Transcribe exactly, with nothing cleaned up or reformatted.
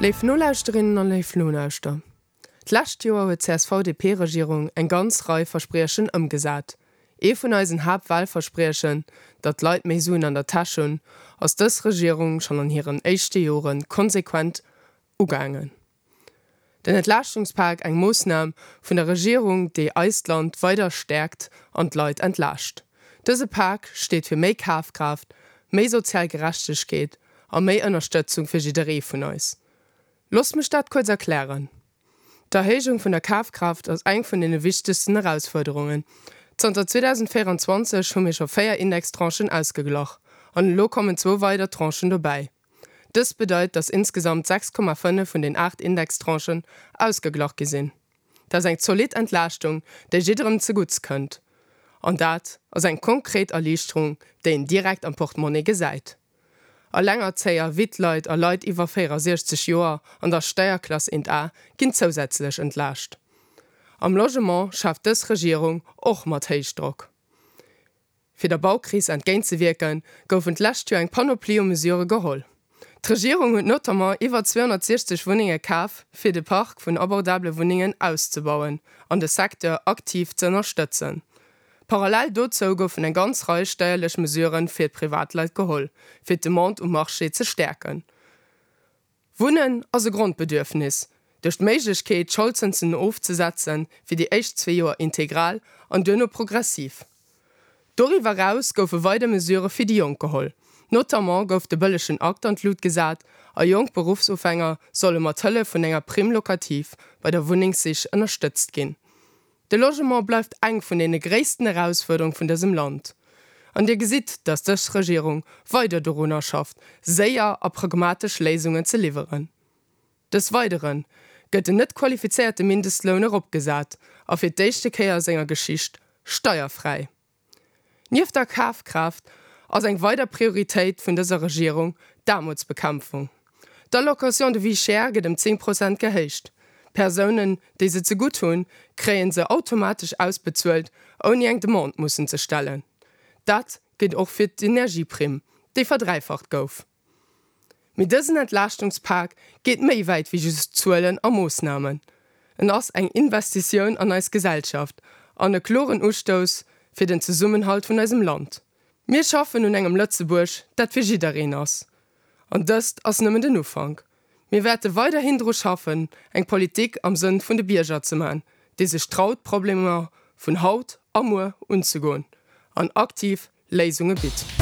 Léif Nolauschterinnen an léif Nolauschter, d'lescht Joer huet d'CSV-DP-Regierung eng ganz Rei Verspriechen ëmgesat. Ee vun eisen Haaptwalverspriechen, datt d'Leit méi Suen an der Täsch hunn, ass dës Regierung schonn an hiren éischte Jore konsequent ugaangen. Den Entlaaschtungspak, eng Moossnam vun der Regierung, déi eist Land weider stäerkt an d'Leit entlaascht. Dëse Pak steet fir méi Kafkraaft, méi sozial Gerechtegkeet a méi Ënnerstëtzung fir jidderee vun eis. Loosst mech dat kuerz erklären. D'Erhéijung vun der Kafkraaft ass eng vun deene wichtegsten Erausfuerderungen. Zanter zweedausendvéierenzwanzeg hu mir scho véier Indextranchen ausgeglach an elo kommen zwou weider Tranchen dobäi. Dëst bedeit, dass insgesamt sechs Komma fënnef vun den aacht Indextranchen ausgeglach gi sinn. Dat ass eng zolidd Entlaaschtung, déi jidderem zegutts kënnt. An dat ass eng konkret Erliichterung, déi een direkt am Portemonnaie gesäit. Allengerzéier, Wittleit a Leit iwwer véierasiechzeg Joer an der Steierklass eent A ginn zousätzlech entlaascht. Am Logement schafft dës Regierung och mat Héichdrock. Fir der Baukris entgéintzewierken, goufen d'lescht Joer eng Panoplie u Mesurë geholl. D'Regierung huet notamment iwwer zweehonnertsiechzeg Wunnenge kaf, fir de Park vun abordabele Wunnengen auszebauen an de Secteur aktiv ze ënnerstëtzen. Parallel dozou goufen eng ganz Rei steierlech Mesurë fir d'Privatleit geholl, fir d'Demande um Marché ze stäerken. Wunnen ass e Grondbedürfnis. Duerch d'Méiglechkeet, d'Scholdzënsen ofzesetzen, fir déi éischt zwee Joer integral an duerno progressiv. Doriwwer eraus goufe weider Mesurë fir déi Jonk geholl. Notamment gouf de bëllegen Akt an d'Lut gesat a jonk Beruffsufänger solle mat Hëllef vun enger Prime locative bei der Wunnengssich ënnerstëtzt ginn. De Logement bleift eng vun deene gréissten Erausfuerderung vun dësem Land. An Dir gesitt, dass dës Regierung weider dorunner schafft, séier a pragmatesch Léisungen ze liwweren. Des Weidere gëtt den net qualifizéierte Mindestloun eropgesat a fir d'éischte Kéier a senger Geschicht steierfräi. Nieft der Kafkraaft ass eng weider Prioritéit vun dëser Regierung d'Aarmutsbekämpfung. D'Allocation de vie chère gëtt ëm zéng Prozent gehéicht. Persounen, déi se zegutt hunn, kréie se automatesch ausbezuelt, ouni eng Demande mussen ze stellen. Dat gëllt och fir d'Energieprimm, déi verdräifacht gouf. Mee dësen Entlaaschtungspak geet méi wäit wéi just Zuelen a Moossnamen. En ass eng Investitioun an eis Gesellschaft an e kloren Ustouss fir den Zesummenhalt vun eisem Land. Mir schaffen un engem Lëtzebuerg, dat fir jiddereen ass. An dëst ass nëmmen den Ufank. Mir wäerte weiderhin dru schaffen, eng Politik am Sënn vun de Bierger ze man, déi sech traut, d'Problemer vun haut a muer unzegoen an aktiv Léisunge bitt.